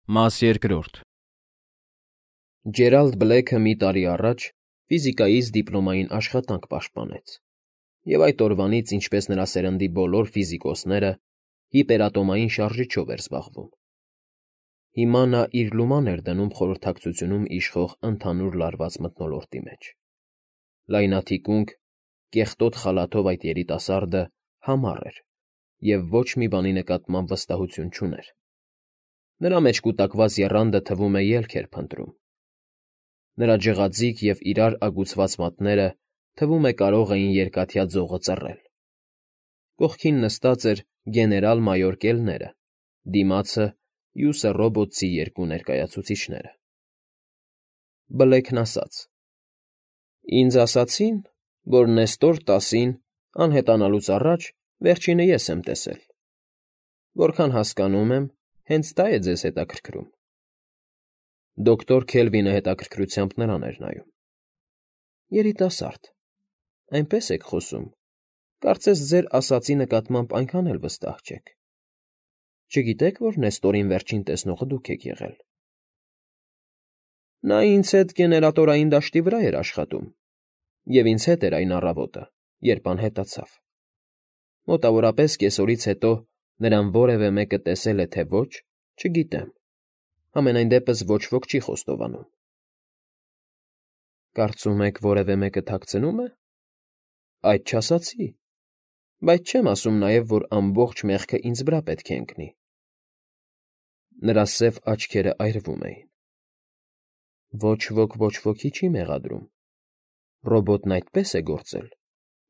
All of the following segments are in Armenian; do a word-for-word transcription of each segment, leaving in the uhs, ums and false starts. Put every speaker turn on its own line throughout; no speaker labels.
Մաս երկրորդ
Ջերալդ Բլեքը մի տարի առաջ ֆիզիկայից դիպլոմային աշխատանք պաշտպանեց, և այդ օրվանից, ինչպես նրա սերնդի բոլոր ֆիզիկոսները, հիպերատոմային շարժիչով էր զբաղվում։ Հիմա նա իր լուման էր դնում խորհրդակցությունում իշխող ընդհանուր լարված մթնոլորտի մեջ։ Լայնաթիկունք, կեղտոտ խալաթով այդ երիտասարդը համառ էր և ոչ մի բանի նկատմամբ վստահություն չուներ։ Նրա մեջ կուտակված եռանդը թվում է ելք էր փնտրում։ Նրա ջղաձիգ և իրար ագուցված մատները թվում է կարող էին երկաթյա ձողը ծռել։ Կողքին նստած էր գեներալ֊մայոր Կելները, դիմացը՝ մյուսը ռոբոտցի երկու ներկայացուցիչները։ Բլեքն ասաց. «Ինձ ասացին, որ Նեստոր տասին անհետանալուց առաջ վերջինը ես եմ տեսել։ Որքան հասկանում եմ, հենց դա է ձեզ հետաքրքրում»։ Դոկտոր Քելվինը հետաքրքրությամբ նրան էր նայում։ «Երիտասարդ, այնպես եք խոսում, կարծես ձեր ասածի նկատմամբ այնքան էլ վստահ չեք։ Չգիտե՞ք, որ Նեստորին վերջին տեսնողը դուք եք եղել։ Նա ինձ հետ գեներատորային դաշտի վրա էր աշխատում, և ինձ հետ էր այն առավոտը, երբ անհետացավ։ Մոտավորապես կեսօրից հետո նրան որևէ մեկը տեսել է թե ոչ, չգիտեմ, համենայն դեպս ոչ ոք չի խոստովանում»։ «Կարծում եք որևէ մեկը թաքցնո՞ւմ է։ Այդ չասացի, բայց չեմ ասում նաև, որ ամբողջ մեղքը ինձ վրա պետք է ընկնի»։ Նրա սև աչքերը այրվում էին։ «Ոչ ոք ոչ ոքի չի մեղադրում։ Ռոբոտն այդպես է գործել,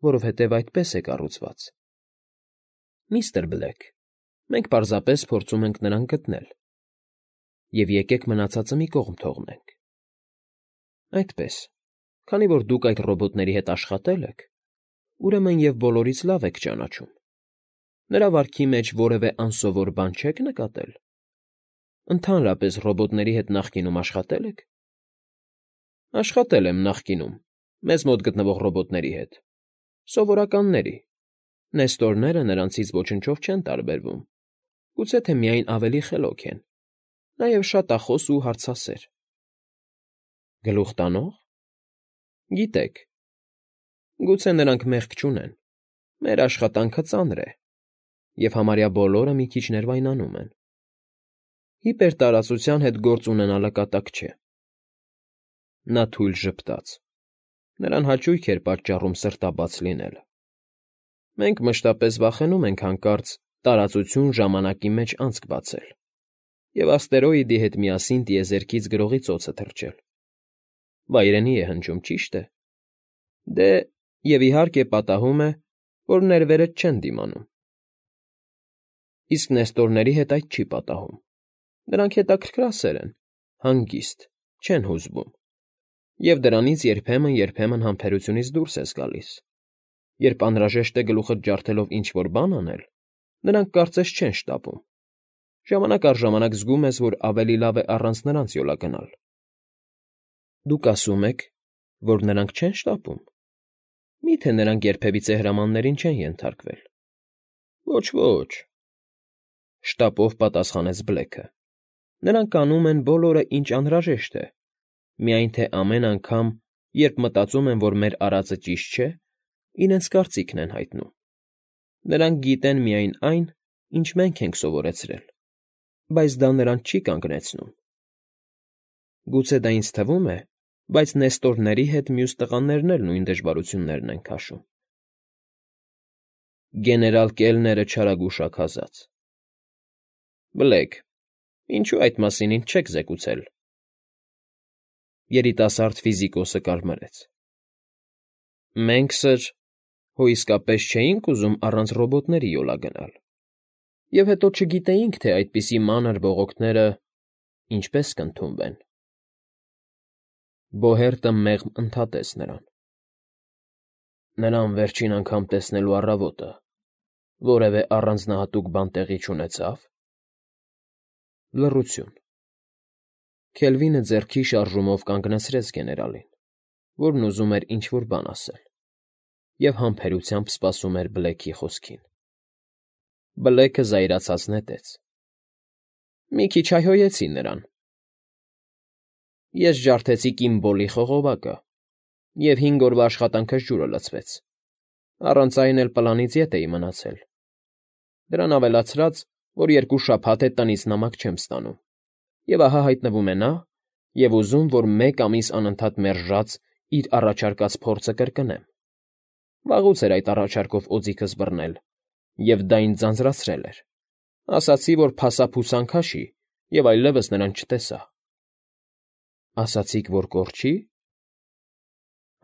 որովհետև այդպես է կառուցված։ Միստր Բլեք, մենք պարզապես փորձում ենք նրան գտնել, և եկեք մնացածը մի կողմ թողնենք։ Այդպես, քանի որ դուք այդ ռոբոտների հետ աշխատել եք, ուրեմն և բոլորից լավ եք ճանաչում։ Նրա վարքի մեջ որևէ անսովոր բան չե՞ք նկատել։ Ընդհանրապես ռոբոտների հետ նախկինում աշխատե՞լ եք։ Աշխատել եմ նախկինում, մեզ մոտ գտնվող ռոբոտների հետ, սովորականների։ Նեստորները նրանցից ոչնչով չեն տարբերվում, գուցե թե միայն ավելի խելոք են, նաև շատախոս ու հարցասեր։ Գլուխ տանո՞ղ։ Գիտեք, գուցե նրանք մեղք չունեն, մեր աշխատանքը ծանր է, և համարյա բոլորը մի քիչ ներվայնանում են։ Հիպերտարածության հետ գործ ունենալը կատակ չէ։ Նա թույլ ժպտաց։ Նրան հաճույք էր պատճառում սրտաբաց լինելը։ Մենք մշտապես վախենում ենք հանկարծ տարածություն ժամանակի մեջ անցք բացել և աստերոիդի հետ միասին տիեզերքից գրողի ծոցը թռչել։ Վայրենի է հնչում, ճիշտ է։ Դե, և իհարկե պատահում է, որ ներվերդ չեն դիմանում։ Իսկ նեստորների հետ այդ չի պատահում։ Նրանք հետաքրքրասեր են, հանգիստ, չեն հուզվում, և դրանից երբեմն֊երբեմն համբերությունից դուրս ես գալիս։ Երբ անհրաժեշտ է գլուխդ ջարդելով ինչ֊որ բան անել, նրանք կարծես չեն շտապում։ Ժամանակ առ ժամանակ զգում ես, որ ավելի լավ է առանց նրանց յոլա գնալ։ Դուք ասում եք, որ նրանք չեն շտապում։ Մի՞թե նրանք երբևիցե հրամաններին չեն ենթարկվել։ Ոչ, ոչ, շտապով պատասխանեց Բլեքը։ Նրանք անում են բոլորը, ինչ անհրաժեշտ է, միայն թե ամեն անգամ, երբ մտածում են, որ մեր արածը ճիշտ չէ, իրենց կարծիքն են հայտնում։ Նրանք գիտեն միայն այն, ինչ մենք ենք սովորեցրել, բայց դա նրանց չի կանգնեցնում։ Գուցե դա ինձ թվում է, բայց նեստորների հետ մյուս տղաներն էլ նույն դժվարություններն են քաշում։ Գեներալ Կելները չարագուշակացած։ Բլեք, ինչու այդ մասին ինձ չեք զեկուցել։ Երիտասարդ ֆիզիկոսը կարմրեց։ Մենք, սըր, հո իսկապես չէինք ուզում առանց ռոբոտների յոլա գնալ, և հետո չգիտեինք, թե այդպիսի մանր բողոքները ինչպես կընդունվեն։ Բոհերտը մեղմ ընդհատեց նրան։ Նրան վերջին անգամ տեսնելու առավոտը որևէ առանձնահատուկ բան տեղի չունեցա՞վ։ Լռություն։ Քելվինը ձեռքի շարժումով կանգնացրեց գեներալին, որն ուզում էր ինչ֊որ բան ասել, և համբերությամբ սպասում էր Բլեքի խոսքին։ Բլեքը զայրացած նետեց։ Մի քիչ հայհոյեցի նրան։ Ես ջարդեցի Կիմբոլի խողովակը, և հինգ օրվա աշխատանքս ջուրը լցվեց, առանց այն էլ պլանից ետ էի մնացել, դրան ավելացրած, որ երկու շաբաթ է տնից նամակ չեմ ստանում, և ահա հայտնվում է նա, և ուզում, որ մեկ ամիս անընդհատ մերժած իր առաջարկած փորձը կրկնեմ։ Վաղուց էր այդ առաջարկով օձիքս բռնել, և դա ինձ ձանձրացրել էր։ Ասացի, որ փասափուսան քաշի, և այլևս նրան չտեսա։ Ասացիք, որ կորչի՞։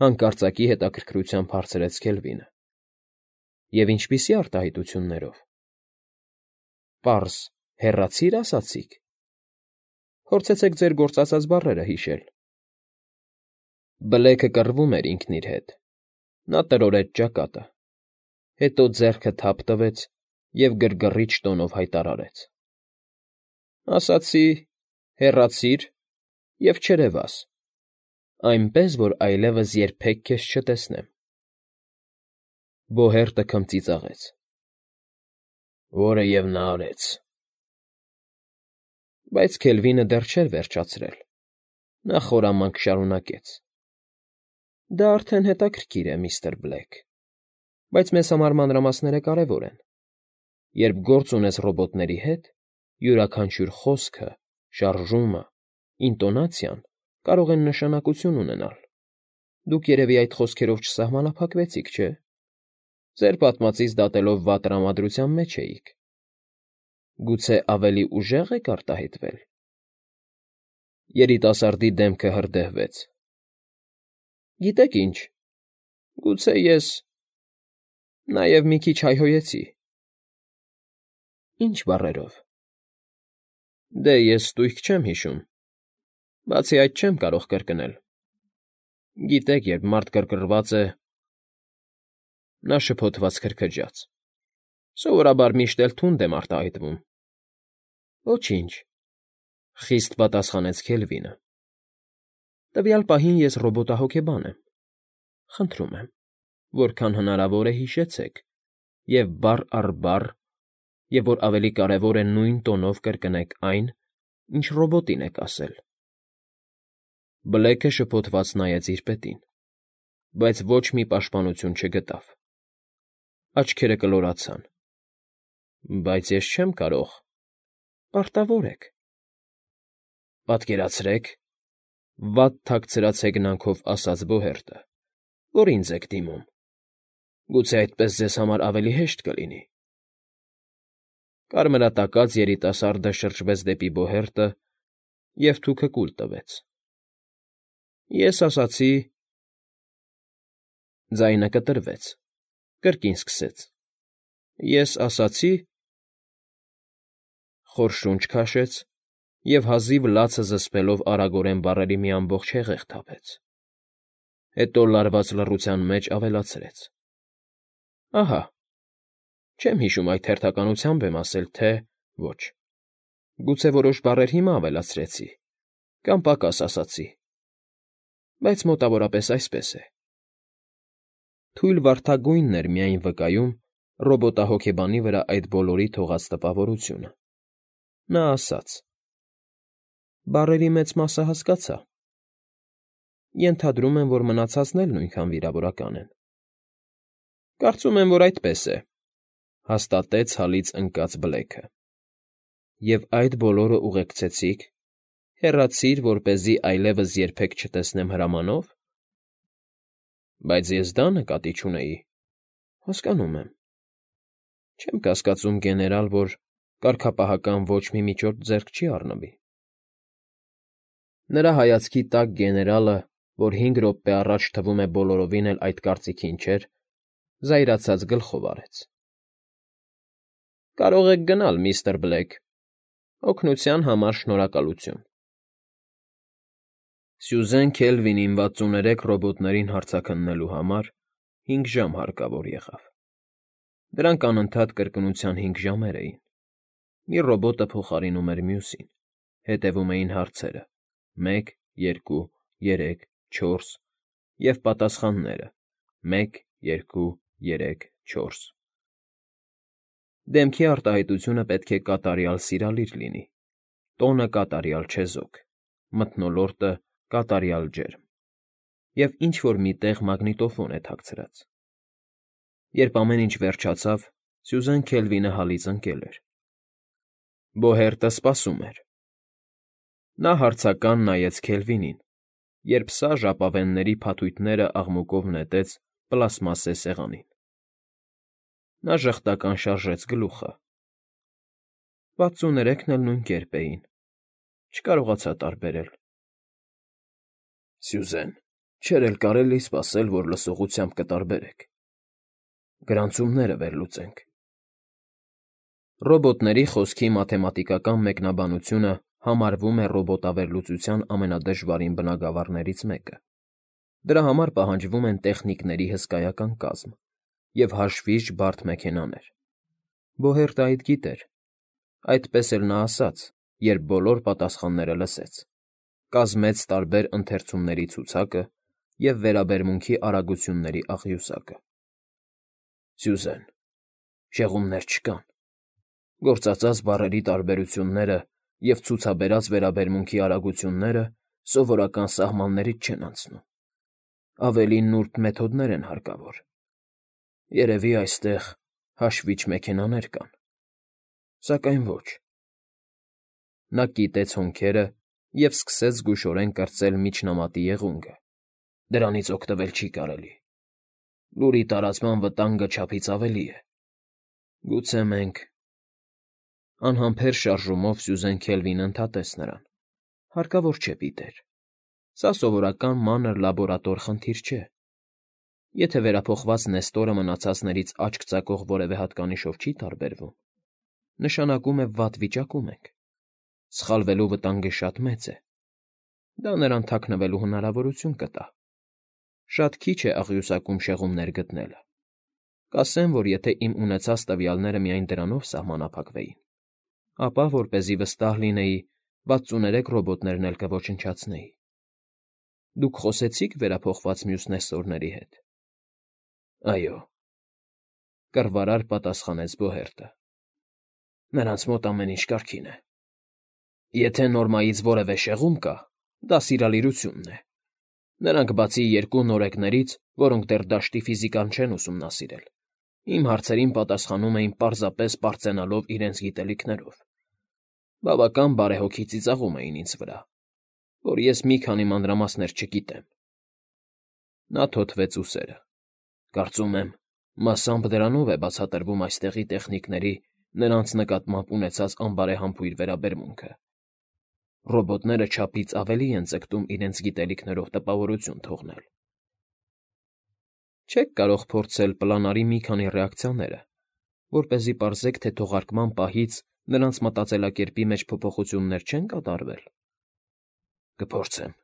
Հանկարծակի հետաքրքրությամբ հարցրեց Քելվինը։ Եվ ինչպիսի արտահայտություններով։ Պարզ հեռացի՞ր, ասացիք։ Փորձեցեք ձեր գործածած բառերը հիշել։ Բլեքը կռվում էր ինքն իր հետ։ Նա տրորեց ճակատը, հետո ձեռքը թափ տվեց և գրգռիչ տոնով հայտարարեց. Ասացի, հեռացի՛ր և չերևաս, այնպես, որ այլևս երբեք քեզ չտեսնեմ։ Բոհերտը քմծիծաղեց։ Որը և նա արեց։ Բայց Քելվինը դեռ չէր վերջացրել։ Նա խորամանկ շարունակեց. Դա արդեն հետաքրքիր է, միստր Բլեք, բայց մեզ համար մանրամասները կարևոր են։ Երբ գործ ունես ռոբոտների հետ, յուրաքանչյուր խոսքը, շարժումը, ինտոնացիան կարող են նշանակություն ունենալ։ Դուք երևի այդ խոսքերով չսահմանափակվեցիք, չէ՞։ Ձեր պատմածից դատելով վատ տրամադրության մեջ էիք։ Գուցե ավելի ուժեղ եք արտահայտվել։ Երիտասարդի դեմքը հրդեհվեց։ Գիտեք ինչ, գուցե ես նաև մի քիչ հայհոյեցի։ Ինչ բառերով։ Դե ես ստույգ չեմ հիշում, բացի այդ չեմ կարող կրկնել։ Գիտեք, երբ մարդ կռկռված է… Նա շփոթված քրքջաց։ Սովորաբար միշտ էլ թունդ եմ արտահայտվում։ Ոչինչ, խիստ պատասխանեց Քելվինը։ Տվյալ պահին ես ռոբոտահոգեբան եմ։ Խնդրում եմ, որքան հնարավոր է հիշեցեք, և բառ առ բառ, և որ ավելի կարևոր է, նույն տոնով կրկնեք այն, ինչ ռոբոտին եք ասել։ Բլեքը շփոթված նայեց իր պետին, բայց ոչ մի պաշտպանություն չգտավ։ Աչքերը կլորացան։ Բայց ես չեմ կարող։ Պարտավոր եք։ Պատկերացրեք, վատ թաքցրած հեգնանքով ասաց Բոհերտը, որ ինձ եք դիմում։ Գուցե այդպես ձեզ համար ավելի հեշտ կլինի։ Կարմրատակած երիտասարդը շրջվեց դեպի Բոհերտը և թուքը կուլ տվեց։ Ես ասացի… Ձայնը կտրվեց, կրկին սկսեց. Ես ասացի… Խոր շունչ քաշեց և հազիվ լացը զսպելով արագորեն բառերի մի ամբողջ հեղեղ թափեց։ Հետո լարված լռության մեջ ավելացրեց. Ահա… Չեմ հիշում այդ հերթականությամբ եմ ասել, թե ոչ… Գուցե որոշ բառեր հիմա ավելացրեցի, կամ պակաս ասացի, բայց մոտավորապես այսպես է։ Թույլ վարդագույնն էր միայն վկայում ռոբոտահոգեբանի վրա այդ բոլորի թողած տպավորությունը։ Նա ասաց. Բառերի մեծ մասը հասկացա։ Ենթադրում եմ, որ մնացածն էլ նույնքան վիրավորական են։ Կարծում եմ, որ այդպես է, հաստատեց հալից ընկած Բլեքը։ Եվ այդ բոլորը ուղեկցեցիք, հեռացիր, որպեսզի այլևս երբեք չտեսնեմ հրամանով։ Բայց ես դա նկատի չունեի։ Հասկանում եմ։ Չեմ կասկածում, գեներալ, որ կարգապահական ոչ մի միջոց ձեռք չի առնվի։ Նրա հայացքի տակ գեներալը, որ հինգ րոպե առաջ թվում է բոլորովին էլ այդ կարծիքին չէր, զայրացած գլխով արեց։ Կարող եք գնալ, միստր Բլեք։ Օգնության համար շնորհակալություն։ Սյուզեն Քելվինին վաթսուներեք ռոբոտներին հարցաքննելու համար հինգ ժամ հարկավոր եղավ։ Դրանք անընդհատ կրկնության հինգ ժամեր էին։ Մի ռոբոտը փոխարինում էր մյուսին, հետևում էին հարցերը՝ մեկ, երկու, երեք, չորս, և պատասխանները՝ մեկ, երկու, երեք, չորս։ Դեմքի արտահայտությունը պետք է կատարյալ սիրալիր լինի, Տոնը կատարյալ չեզոք, մթնոլորտը կատարյալ ջերմ, և ինչ֊որ մի տեղ մագնիտոֆոն է թաքցրած։ Երբ ամեն ինչ վերջացավ, Սյուզեն Քելվինը հալից ընկել էր։ Բոհերտը սպասում էր։ Նա հարցական նայեց Քելվինին, երբ սա ժապավենների փաթույթները աղմուկով նետեց պլաստմասե սեղանին։ Նա ժխտական շարժեց գլուխը։ Վաթսուներեքն էլ նույն կերպ էին, չկարողացա տարբերել։ Սյուզեն, չէր էլ կարելի սպասել, որ լսողությամբ կտարբերեք։ Գրանցումները վերլուծենք։ Ռոբոտների խոսքի մաթեմատիկական մեկնաբանությունը համարվում է ռոբոտավերլուծության ամենադժվարին բնագավառներից մեկը։ Դրա համար պահանջվում են տեխնիկների հսկայական կազմ և հաշվիչ բարդ մեքենաներ։ Բոհերտը այդ գիտեր, այդպես էլ նա ասաց, երբ բոլոր պատասխանները լսեց, կազմեց տարբեր ընթերցումների ցուցակը և վերաբերմունքի արագությունների աղյուսակը։ Սյուզեն, շեղումներ չկան։ Գործածած բառերի տարբերությունները և ցուցաբերած վերաբերմունքի արագությունները սովորական սահմաններից չեն անցնում։ Ավելի նուրբ մեթոդներ են հարկավոր։ Երևի այստեղ հաշվիչ մեքենաներ կան, սակայն ոչ։ Նա կիտեց հոնքերը և սկսեց զգուշորեն կրծել միջնամատի եղունգը։ Դրանից օգտվել չի կարելի։ Լուրի տարածման վտանգը չափից ավելի է։ Գուցե մենք… Անհամբեր շարժումով Սյուզեն Քելվինը ընդհատեց նրան։ Հարկավոր չէ, Պիտեր։ Սա սովորական մանր լաբորատոր խնդիր չէ։ Եթե վերափոխված Նեստորը մնացածներից աչք ծակող որևէ հատկանիշով չի տարբերվում, նշանակում է վատ վիճակում ենք։ Սխալվելու վտանգը շատ մեծ է։ Դա նրան թաքնվելու հնարավորություն կտա։ Շատ քիչ է աղյուսակում շեղումներ գտնելը։ Կասեմ, որ եթե իմ ունեցած տվյալները միայն դրանով սահմանափակվեին, ապա, որպեսզի վստահ լինեի, վաթսուներեք ռոբոտներն էլ կոչնչացնեի։ Դուք խոսեցի՞ք վերափոխված մյուս Նեստորների հետ։ Այո, կռվարար պատասխանեց Բոհերտը։ Նրանց մոտ ամեն ինչ կարգին է։ Եթե նորմայից որևէ շեղում կա, դա սիրալիրությունն է։ Նրանք բացի երկու նորեկներից, որոնք դեռ դաշտի ֆիզիկան չեն ուսումնասիրել, իմ հարցերին պատասխանում էին պարզապես պարծենալով իրենց գիտելիքներով։ Բավական բարեհոգի ծիծաղում էին ինձ վրա, որ ես մի քանի մանրամասներ չգիտեմ։ Նա թոթվեց ուսերը։ Կարծում եմ, մասամբ դրանով է բացատրվում այստեղի տեխնիկների նրանց նկատմամբ ունեցած անբարեհամբույր վերաբերմունքը։ Ռոբոտները չափից ավելի են ձգտում իրենց գիտելիքներով տպավորություն թողնել։ Չեք կարող փորձել պլանարի մի քանի ռեակցիաները, որպեսզի պարզեք, թե թողարկման պահից նրանց մտածելակերպի մեջ փոփոխություններ չեն կատարվել։ Կփորձեմ։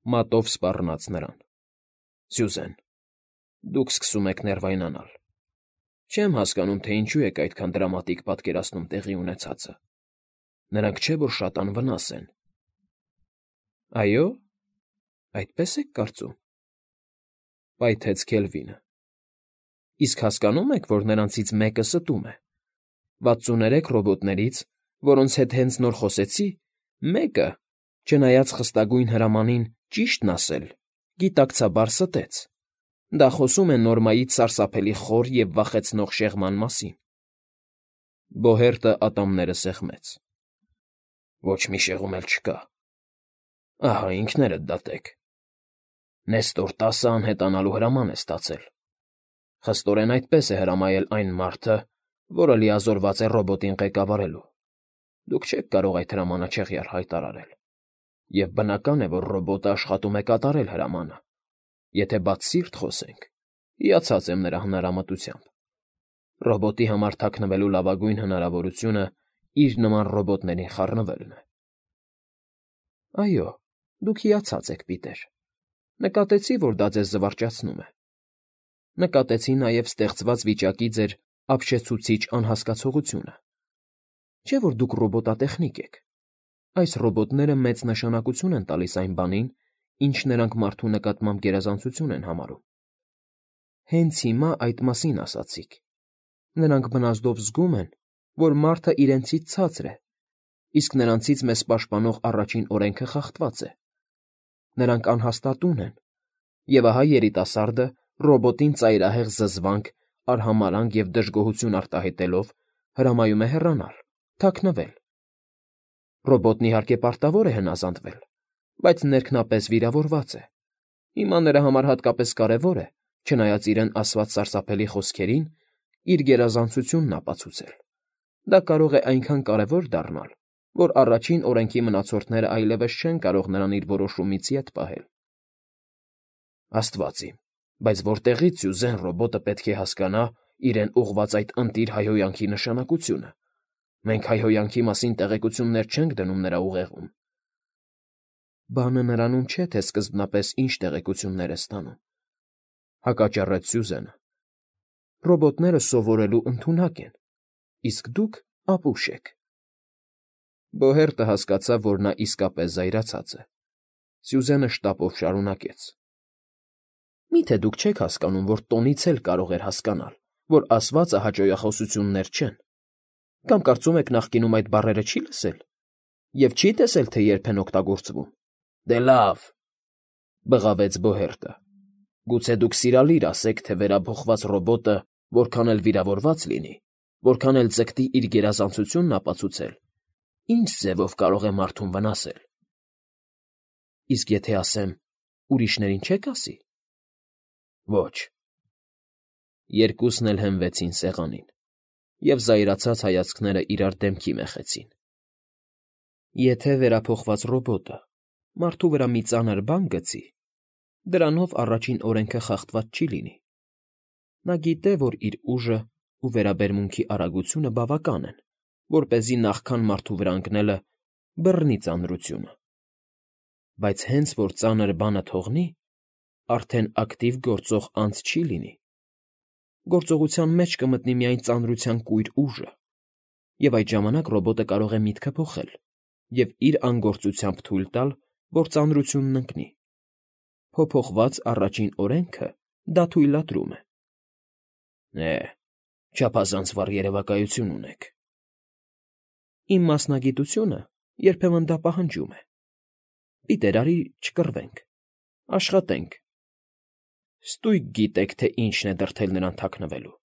Մատով սպառնաց նրան։ Սյուզեն, դուք սկսում եք ներվայնանալ։ Չեմ հասկանում, թե ինչու եք այդքան դրամատիկ պատկերացնում տեղի ունեցածը։ Նրանք չէ՞ որ շատ անվնաս են։ Այո՞, այդպես եք կարծում, պայթեց Քելվինը։ Իսկ հասկանո՞ւմ եք, որ նրանցից մեկը ստում է։ Վաթսուներեք ռոբոտներից, որոնց հետ հենց նոր խոսեցի, մեկը, չնայած խստագույն հրամանին ճիշտն ասել, գիտակցաբար ստեց։ Դա խոսում է նորմայից սարսափելի խոր և վախեցնող շեղման մասին։ Բոհերտը ատամները սեղմեց։ Ոչ մի շեղում էլ չկա։ Ահա ինքներդ դատեք։ Նեստոր տասը անհետանալու հրաման է ստացել։ Խստորեն այդպես է հրամայել այն մարդը, որը լիազորված է ռոբոտին ղեկավարելու։ Դուք չեք կարող այդ հրամանը չեղյալ հայտարարել։ Եվ բնական է, որ ռոբոտը աշխատում է կատարել հրամանը։ Եթե բաց սիրտ խոսենք, հիացած եմ նրա հնարամտությամբ։ Ռոբոտի համար թաքնվելու լավագույն հնարավորությունը իր նման ռոբոտներին խառնվելն է։ Այո, դուք հիացած եք, Պիտեր։ Նկատեցի, որ դա ձեզ զվարճացնում է։ Նկատեցի նաև ստեղծված վիճակի ձեր ապշեցուցիչ անհասկացողությունը։ Չէ՞ որ դուք ռոբոտատեխնիկ եք։ Այս ռոբոտները մեծ նշանակություն են տալիս այն բանին, ինչ նրանք մարդու նկատմամբ գերազանցություն են համարում։ Հենց հիմա այդ մասին ասացիք։ Նրանք բնազդով զգում են, որ մարդը իրենցից ցածր է, իսկ նրանցից մեզ պաշտպանող առաջին օրենքը խախտված է։ Նրանք անհաստատուն են, և ահա երիտասարդը ռոբոտին ծայրահեղ զզվանք, արհամարհանք և դժգոհություն արտահայտելով հրամայում է հեռանալ, թաքնվել։ Ռոբոտն, իհարկե, պարտավոր է հնազանդվել, բայց ներքնապես վիրավորված է։ Հիմա նրա համար հատկապես կարևոր է, չնայած իրեն ասված սարսափելի խոսքերին, իր գերազանցությունն ապացուցել։ Դա կարող է այնքան կարևոր դառնալ, որ առաջին օրենքի մնացորդները այլևս չեն կարող նրան իր որոշումից ետ պահել։ Աստված իմ, բայց որտեղի՞ց Սյուզեն ռոբոտը պետք է հասկանա իրեն ուղղված այդ ընտիր հայհոյանքի նշանակությունը։ Մենք հայհոյանքի մասին տեղեկություններ չենք դնում նրա ուղեղում։ Բանը նրանում չէ, թե սկզբնապես ինչ տեղեկություններ է ստանում, հակաճառեց Սյուզենը։ Ռոբոտները սովորելու ընդունակ են, իսկ դուք ապուշ եք։ Բոհերտը հասկացավ, որ նա իսկապես զայրացած է։ Սյուզենը շտապով շարունակեց. Մի՞թե դուք չեք հասկանում, որ տոնից էլ կարող էր հասկանալ, որ ասվածը հաճոյախոսություններ չեն։ Կամ կարծում եք նախկինում այդ բառերը չի լսել և չի տեսել, թե երբ են օգտագործվում։ Դե լավ, բղավեց Բոհերտը։ Գուցե դուք սիրալիր ասեք, թե վերափոխված ռոբոտը որքան էլ վիրավորված լինի, որքան էլ ձգտի իր գերազանցությունն ապացուցել, ինչ ձևով կարող է մարդուն վնասել։ Իսկ եթե ասեմ, ուրիշներին չեք ասի։ Ոչ։ Երկուսն էլ հենվեցին սեղանին, և զայրացած հայացքները իրար դեմքի մέχեցին։ Եթե վերափոխված ռոբոտը մարդու վրա մի ծանր բան գցի, դրանով առաջին օրենքը խախտված չի լինի։ Նա գիտե, որ իր ուժը ու վերաբերմունքի արագությունը բավական են, որպեսզի նախքան մարդու վրա ընկնելը բռնի ծանրությունը։ Բայց հենց որ ծանր բանը թողնի, արդեն ակտիվ գործող անձ չի լինի։ Գործողության մեջ կմտնի միայն ծանրության կույր ուժը, և այդ ժամանակ ռոբոտը կարող է միտքը փոխել և իր անգործությամբ թույլ տալ, որ ծանրությունն ընկնի։ Փոփոխված առաջին օրենքը դա թույլատրում է։ Է, չափազանց վառ երևակայություն ունեք։ Իմ մասնագիտությունը երբեմն դա պահանջում է։ Պիտեր, արի չկռվենք, աշխատենք։ Ստույգ գիտեք, թե ինչն է դրդել նրան թաքնվելու։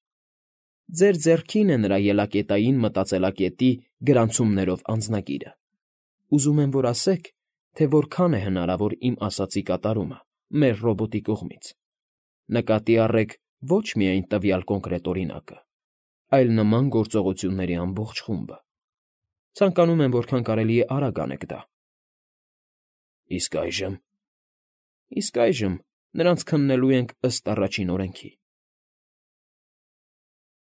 Ձեր ձեռքին է նրա ելակետային մտածելակետի գրանցումներով անձնագիրը։ Ուզում եմ, որ ասեք, թե որքան է հնարավոր իմ ասածի կատարումը մեր ռոբոտի կողմից։ Նկատի առեք ոչ միայն տվյալ կոնկրետ օրինակը, այլ նման գործողությունների ամբողջ խումբը։ Ցանկանում եմ որքան կարելի է արագ անեք դա։ Իսկ այժմ։ Իսկ այժմ նրանց քննելու ենք ըստ առաջին օրենքի։